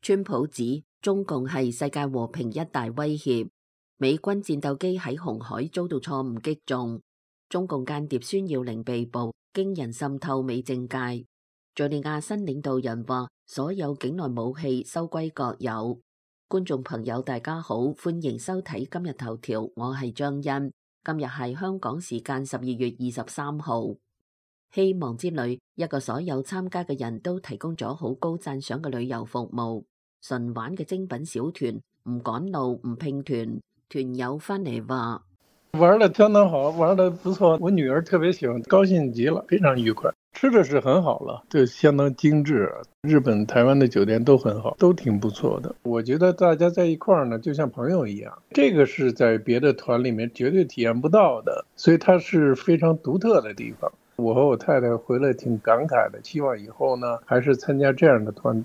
川普指中共係世界和平一大威脅，美軍戰鬥機喺紅海遭到錯誤擊中，中共間諜孫耀寧被捕，驚人滲透美政界。敘利亞新領導人話，所有境內武器收歸國有。觀眾朋友大家好，歡迎收睇今日頭條，我係張欣。今日係香港時間12月23號。希望之旅一個所有參加嘅人都提供咗好高讚賞嘅旅遊服務，純玩嘅精品小團，唔趕路唔拼團。團友翻嚟話，玩得相當好，玩得不錯，我女兒特別喜歡，高興極了，非常愉快。吃的是很好了，就相當精緻。日本、台灣的酒店都很好，都挺不錯的。我覺得大家在一塊兒呢，就像朋友一樣，這個是在別的團裡面絕對體驗不到的，所以它是非常獨特的地方。我和我太太回來挺感慨的，希望以後呢，還是參加這樣的團。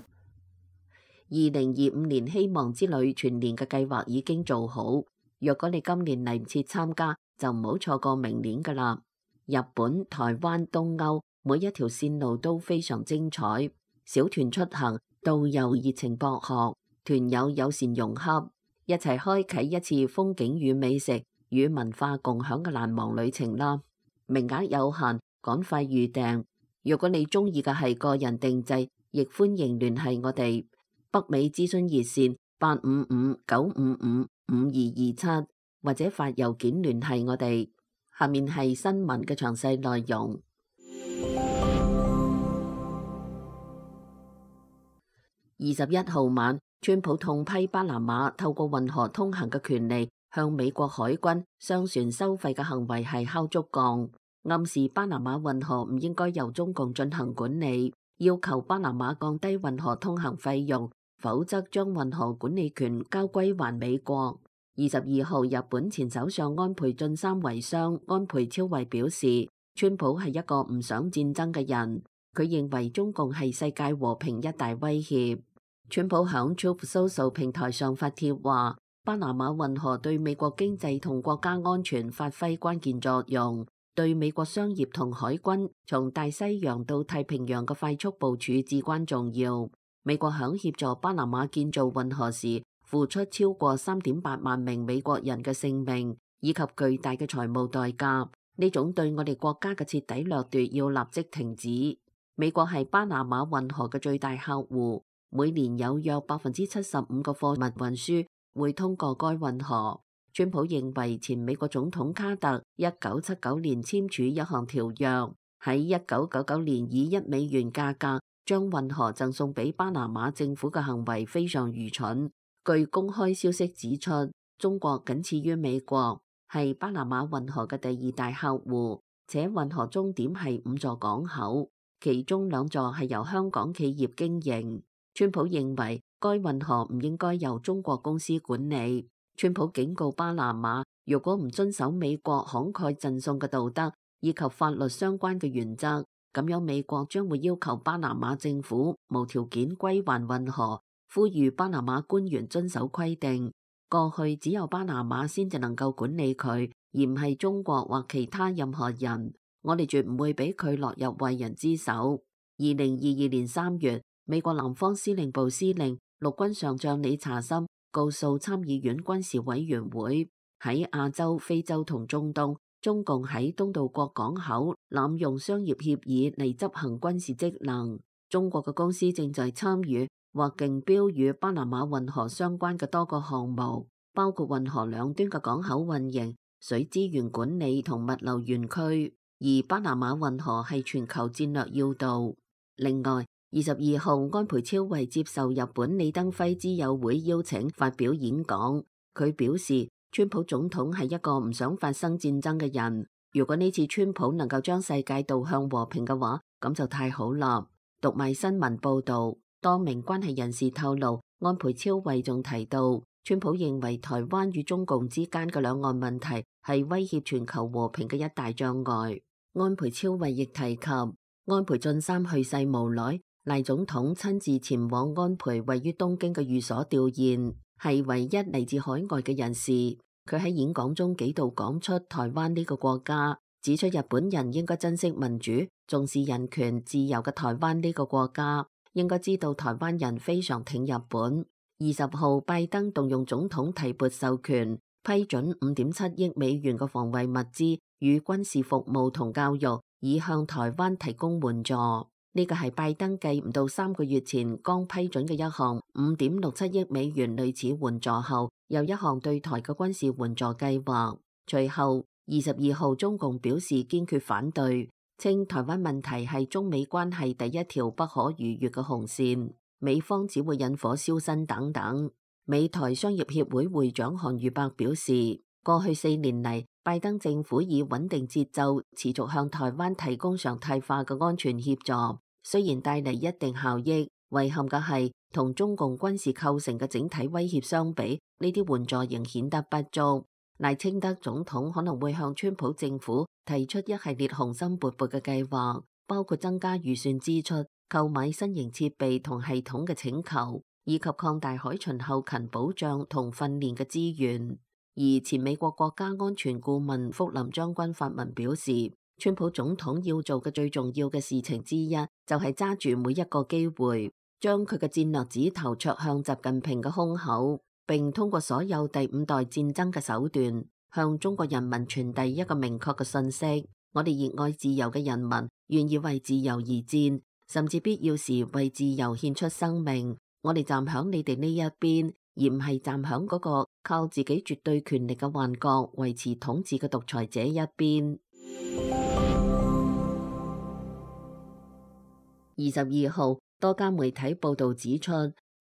2025年希望之旅全年嘅計劃已經做好，若果你今年嚟唔切參加，就唔好錯過明年㗎喇。日本、台灣、東歐每一條線路都非常精彩，小團出行，導遊熱情博學，團友友善融洽，一齊開啟一次風景與美食與文化共享嘅難忘旅程啦。名額有限，趕快預訂。如果你中意嘅係個人定制，亦歡迎聯繫我哋北美諮詢熱線855-955-5227，或者發郵件聯繫我哋。下面係新聞嘅詳細內容。21號晚，川普痛批巴拿馬透過運河通行嘅權利向美國海軍商船收費嘅行為係敲竹槓，暗示巴拿馬運河唔應該由中共進行管理，要求巴拿馬降低運河通行費用，否則將運河管理權交歸還美國。22號，日本前首相安倍晉三遺孀安倍昭惠表示，川普係一個唔想戰爭嘅人，佢認為中共係世界和平一大威脅。川普響 Truth Social 平台上發帖話，巴拿馬運河對美國經濟同國家安全發揮關鍵作用，對美國商業同海軍從大西洋到太平洋嘅快速部署至關重要。美國響協助巴拿馬建造運河時，付出超過3.8萬名美國人嘅性命，以及巨大嘅財務代價。呢種對我哋國家嘅徹底掠奪要立即停止。美國係巴拿馬運河嘅最大客戶，每年有約75%嘅貨物運輸會通過該運河。川普認為前美國總統卡特1979年簽署一項條約，喺1999年以$1價格將運河贈送俾巴拿馬政府嘅行為非常愚蠢。據公開消息指出，中國僅次於美國，係巴拿馬運河嘅第2大客戶，且運河終點係5座港口，其中2座係由香港企業經營。川普認為該運河唔應該由中國公司管理。川普警告巴拿馬，如果唔遵守美國慷慨贈送嘅道德以及法律相關嘅原則，咁樣美國將會要求巴拿馬政府無條件歸還運河。呼籲巴拿馬官員遵守規定。過去只有巴拿馬先至能夠管理佢，而唔係中國或其他任何人。我哋絕唔會俾佢落入壞人之手。2022年3月，美國南方司令部司令陸軍上將理查森告訴參議院軍事委員會，喺亞洲、非洲同中東，中共喺東道國港口濫用商業協議嚟執行軍事職能。中國嘅公司正在參與或競標與巴拿馬運河相關嘅多個項目，包括運河兩端嘅港口運營、水資源管理同物流園區，而巴拿馬運河係全球戰略要道。另外，22號，安倍昭惠接受日本李登輝之友會邀請發表演講，佢表示，川普總統係一個唔想發生戰爭嘅人，如果呢次川普能夠將世界導向和平嘅話，咁就太好啦。讀賣新聞報道，多名關係人士透露，安倍昭惠仲提到，川普認為台灣與中共之間嘅兩岸問題係威脅全球和平嘅一大障礙。安倍昭惠亦提及，安倍晉三去世無耐，賴總統親自前往安倍位於東京嘅寓所弔唁，係唯一嚟自海外嘅人士。佢喺演講中幾度講出台灣呢個國家，指出日本人應該珍惜民主、重視人權、自由嘅台灣呢個國家，應該知道台灣人非常挺日本。20號，拜登動用總統提撥授權，批准5.7億美元嘅防衛物資與軍事服務同教育，以向台灣提供援助。呢個係拜登繼唔到3個月前剛批准嘅一項5.67億美元類似援助後，又一項對台嘅軍事援助計劃。隨後22號，中共表示堅決反對，稱台灣問題係中美關係第一條不可逾越嘅紅線，美方只會引火燒身等等。美台商業協會會長韓宇伯表示，過去4年嚟，拜登政府以穩定節奏持續向台灣提供常態化嘅安全協助，雖然帶嚟一定效益，遺憾嘅係同中共軍事構成嘅整體威脅相比，呢啲援助仍顯得不足。賴清德總統可能會向川普政府提出一系列雄心勃勃嘅計劃，包括增加預算支出、購買新型設備同系統嘅請求，以及擴大海巡後勤保障同訓練嘅資源。而前美國國家安全顧問福林將軍發文表示，川普總統要做嘅最重要嘅事情之一，就係揸住每一個機會，將佢嘅戰略指頭戳向習近平嘅胸口，並通過所有第5代戰爭嘅手段，向中國人民傳遞一個明確嘅信息：我哋熱愛自由嘅人民，願意為自由而戰，甚至必要時為自由獻出生命。我哋站響你哋呢一邊，而唔係站響嗰個靠自己絕對權力嘅幻覺維持統治嘅獨裁者一邊。22號，多家媒體報道指出，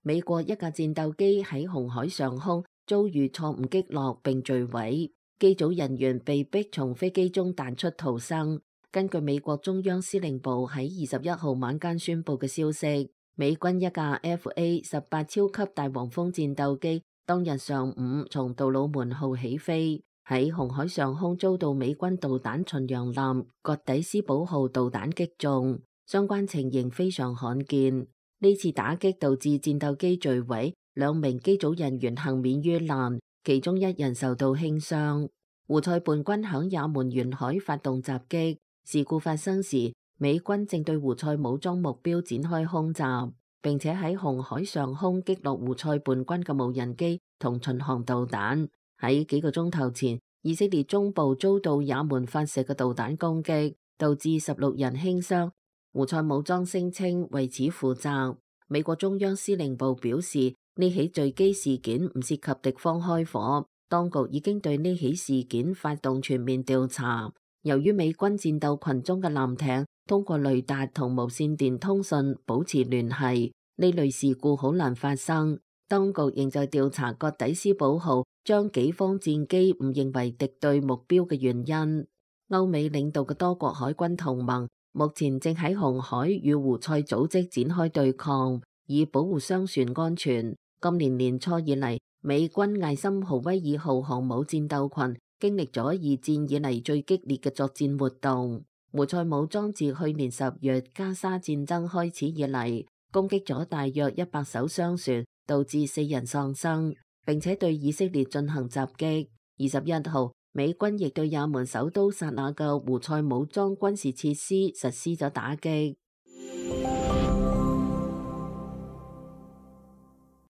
美國一架戰鬥機喺紅海上空遭遇錯誤擊落並墜毀，機組人員被迫從飛機中彈出逃生。根據美國中央司令部喺21號晚間宣布嘅消息，美軍一架 FA-18超級大黃蜂戰鬥機當日上午從杜魯門號起飛，喺紅海上空遭到美軍導彈巡洋艦葛底斯堡號導彈擊中，相關情形非常罕見。呢次打擊導致戰鬥機墜毀，2名機組人員幸免於難，其中1人受到輕傷。胡塞叛軍響也門沿海發動襲擊，事故發生時，美軍正對胡塞武裝目標展開空襲，並且喺紅海上空擊落胡塞叛軍嘅無人機同巡航導彈。喺幾個鐘頭前，以色列中部遭到也門發射嘅導彈攻擊，導致16人輕傷。胡塞武裝聲稱為此負責。美國中央司令部表示，呢起墜機事件唔涉及敵方開火，當局已經對呢起事件發動全面調查。由於美軍戰鬥群中嘅艦艇通過雷達同無線電通訊保持聯繫，呢類事故好難發生。當局仍在調查葛底斯堡號將己方戰機誤認為敵對目標嘅原因。歐美領導嘅多國海軍同盟目前正喺紅海與胡塞組織展開對抗，以保護商船安全。今年年初以嚟，美軍艾森豪威爾號航母戰鬥群經歷咗2戰以嚟最激烈嘅作戰活動。胡塞武裝自去年10月加沙戰爭開始以嚟，攻擊咗大約100艘商船，導致4人喪生，並且對以色列進行襲擊。21號，美軍亦對也門首都薩那嘅胡塞武裝軍事設施實施咗打擊。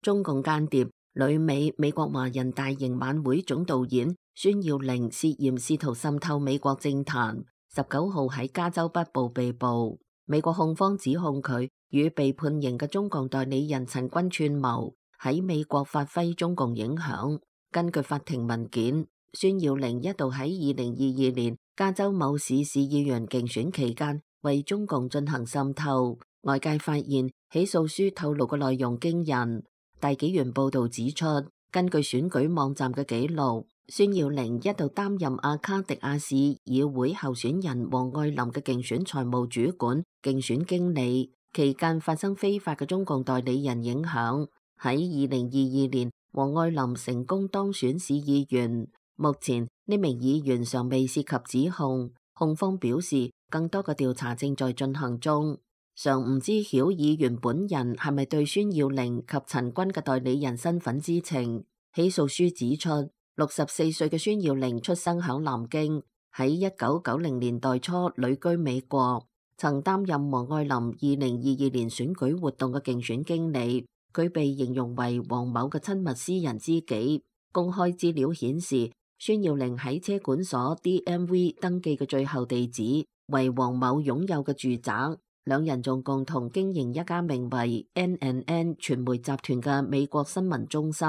中共間諜、旅美國華人大型晚會總導演孫耀玲涉嫌試圖滲透美國政壇，19號喺加州北部被捕。美國控方指控佢與被判刑嘅中共代理人陳軍串謀喺美國發揮中共影響。根據法庭文件，孫耀玲一度喺2022年加州某市市議員競選期間為中共進行滲透。外界發現起訴書透露嘅內容驚人。大紀元報道指出，根據選舉網站嘅記錄，孫耀玲一度擔任阿卡迪亞市議會候選人王愛林嘅競選財務主管、競選經理，期間發生非法嘅中共代理人影響。喺2022年，王愛林成功當選市議員。目前呢名議員尚未涉及指控，控方表示更多嘅調查正在進行中。尚唔知曉議員本人係咪對孫耀玲及陳軍嘅代理人身份知情。起訴書指出，64歲嘅孫耀玲出生響南京，喺1990年代初旅居美國。曾擔任王愛林2022年選舉活動嘅競選經理。佢被形容為王某嘅親密私人知己。公開資料顯示，孫耀玲喺車管所 DMV 登記嘅最後地址為王某擁有嘅住宅。兩人仲共同經營一家名為 NNN 傳媒集團嘅美國新聞中心。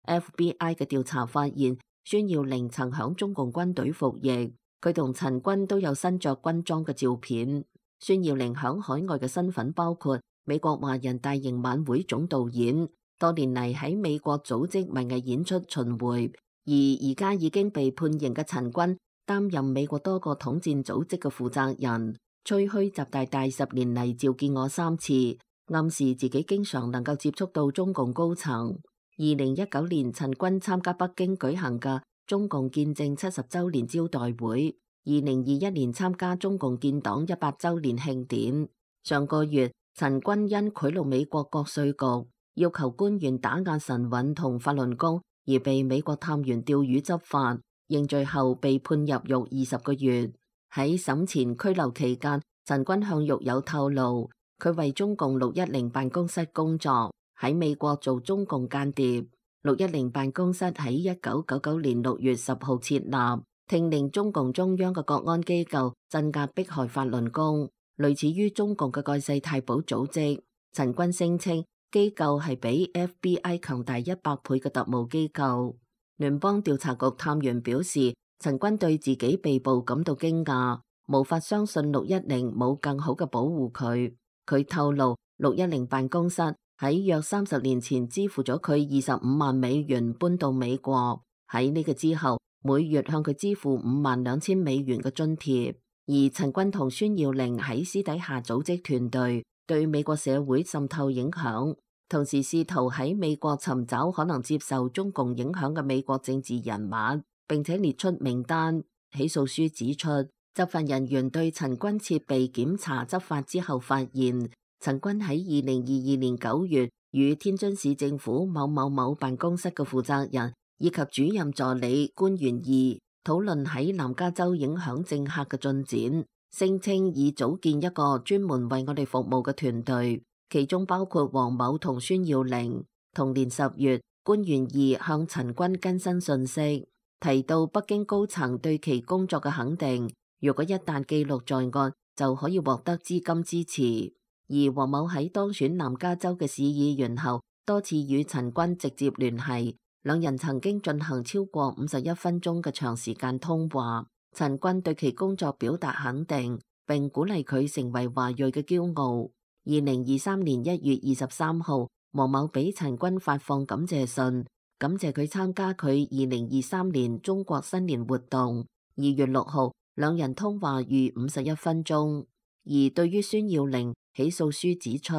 FBI 嘅調查發現，孫耀玲曾響中共軍隊服役，佢同陳軍都有身着軍裝嘅照片。孫耀玲響海外嘅身份包括美國華人大型晚會總導演，多年嚟喺美國組織文藝演出巡迴，而家已經被判刑嘅陳軍擔任美國多個統戰組織嘅負責人。吹噓習大大10年嚟召見我3次，暗示自己經常能夠接觸到中共高層。2019年，陳軍參加北京舉行嘅中共建政70週年招待會，2021年參加中共建黨100週年慶典。上個月，陳軍因賄賂美國國稅局，要求官員打壓晨運同法輪功，而被美國探員釣魚執法，認罪後被判入獄20個月。喺審前拘留期間，陳軍向獄友透露，佢為中共610辦公室工作，喺美國做中共間諜。610辦公室喺1999年6月10號設立，聽令中共中央嘅國安機構鎮壓迫害法輪功，類似於中共嘅蓋世太保組織。陳軍聲稱機構係比 FBI 強大100倍嘅特務機構。聯邦調查局探員表示，陳軍對自己被捕感到驚訝，無法相信610冇更好嘅保護佢。佢透露，610辦公室喺約30年前支付咗佢25萬美元搬到美國，喺呢個之後，每月向佢支付52000美元嘅津貼。而陳軍同孫耀玲喺私底下組織團隊，對美國社會滲透影響，同時試圖喺美國尋找可能接受中共影響嘅美國政治人物，並且列出名單。起訴書指出，執法人員對陳軍設備檢查執法之後，發現陳軍喺2022年9月與天津市政府某某某辦公室嘅負責人以及主任助理官員2討論喺南加州影響政客嘅進展，聲稱已組建一個專門為我哋服務嘅團隊，其中包括王某同孫耀玲。同年10月，官員2向陳軍更新信息，提到北京高層對其工作嘅肯定，如果一旦記錄在案，就可以獲得資金支持。而王某喺當選南加州嘅市議員後，多次與陳軍直接聯繫，兩人曾經進行超過51分鐘嘅長時間通話。陳軍對其工作表達肯定，並鼓勵佢成為華裔嘅驕傲。2023年1月23號，王某俾陳軍發放感謝信，感謝佢參加佢2023年中國新年活動。2月6號，兩人通話逾51分鐘。而對於孫耀玲，起訴書指出，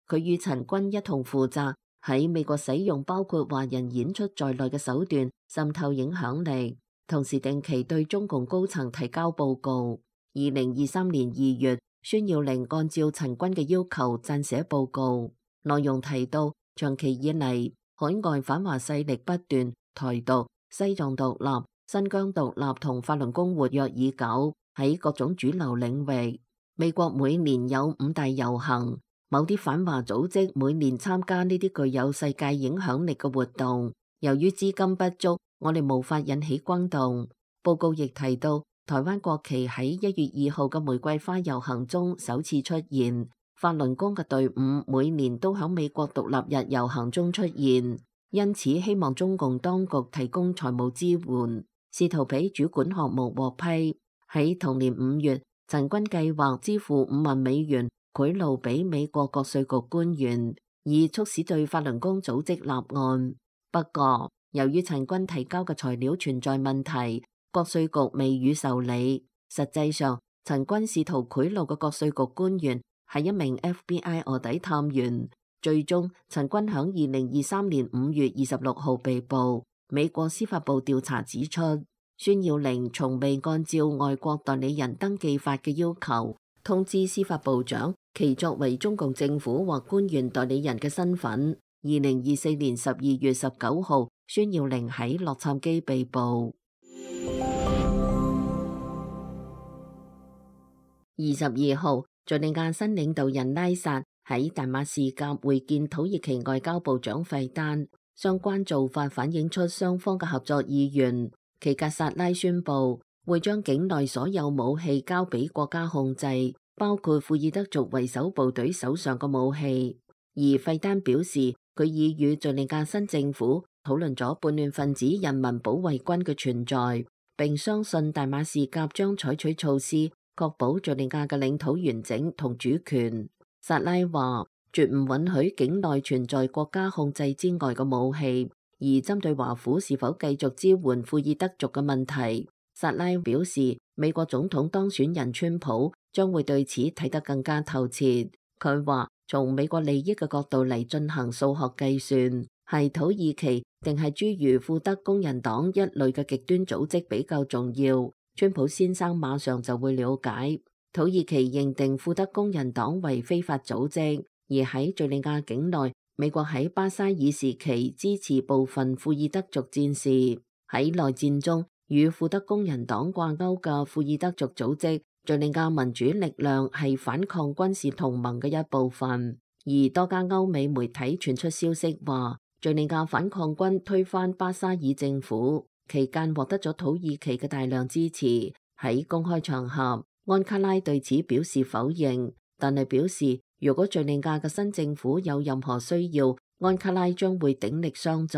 佢與陳軍一同負責喺美國使用包括華人演出在內嘅手段滲透影響力，同時定期對中共高層提交報告。2023年2月，孫耀玲按照陳軍嘅要求撰寫報告，內容提到長期以嚟海外反華勢力不斷，台獨、西藏獨立、新疆獨立同法輪功活躍已久，喺各種主流領域。美國每年有5大遊行，某啲反華組織每年參加呢啲具有世界影響力嘅活動。由於資金不足，我哋無法引起轟動。報告亦提到，台灣國旗喺1月2號嘅玫瑰花遊行中首次出現。法輪功嘅隊伍每年都喺美國獨立日遊行中出現，因此希望中共當局提供財務支援，試圖俾主管項目獲批。喺同年5月，陳軍計劃支付5萬美元賄賂俾美國國稅局官員，以促使對法輪功組織立案。不過，由於陳軍提交嘅材料存在問題，國稅局未予受理。實際上，陳軍試圖賄賂嘅國稅局官員係一名 FBI 臥底探員。最終，陳軍響2023年5月26號被捕。美國司法部調查指出，孫耀玲從未按照外國代理人登記法嘅要求通知司法部長其作為中共政府或官員代理人嘅身份。2024年12月19號，孫耀玲喺洛杉磯被捕。22號，敘利亞新領導人拉薩喺大馬士革會見土耳其外交部長費丹，相關做法反映出雙方嘅合作意願。其格薩拉宣布會將境內所有武器交俾國家控制，包括庫爾德族為首部隊手上嘅武器。而費丹表示，佢已與敘利亞新政府討論咗叛亂分子人民保衛軍嘅存在，並相信大馬士革將採取措施確保敘利亞嘅領土完整同主權。薩拉話，絕唔允許境內存在國家控制之外嘅武器。而針對華府是否繼續支援庫爾德族嘅問題，薩拉表示，美國總統當選人川普將會對此睇得更加透徹。佢話，從美國利益嘅角度嚟進行數學計算，係土耳其定係諸如庫德工人黨一類嘅極端組織比較重要。川普先生馬上就會了解。土耳其認定庫德工人黨為非法組織，而喺敘利亞境內，美國喺巴沙爾時期支持部分庫爾德族戰士。喺內戰中與庫德工人黨掛鈎嘅庫爾德族組織敘利亞民主力量係反抗軍事同盟嘅一部分。而多家歐美媒體傳出消息話，敘利亞反抗軍推翻巴沙爾政府期間獲得咗土耳其嘅大量支持。喺公開場合，安卡拉對此表示否認，但係表示如果敘利亞嘅新政府有任何需要，安卡拉將會鼎力相助。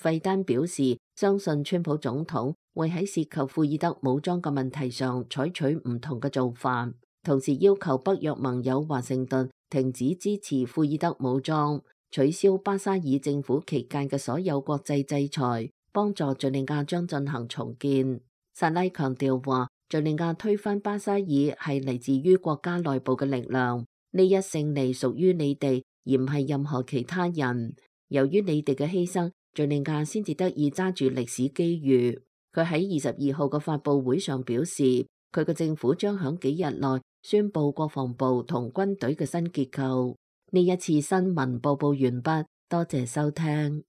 費丹表示相信川普總統會喺涉及庫爾德武裝嘅問題上採取唔同嘅做法，同時要求北約盟友華盛頓停止支持庫爾德武裝，取消巴沙爾政府期間嘅所有國際制裁，幫助敘利亞將進行重建。薩拉強調話，敘利亞推翻巴沙爾係嚟自於國家內部嘅力量，呢一勝利屬於你哋，而唔係任何其他人。由於你哋嘅犧牲，敘利亞先至得以揸住歷史機遇。佢喺22號嘅發佈會上表示，佢嘅政府將響幾日內宣布國防部同軍隊嘅新結構。呢一次新聞播報完畢，多謝收聽。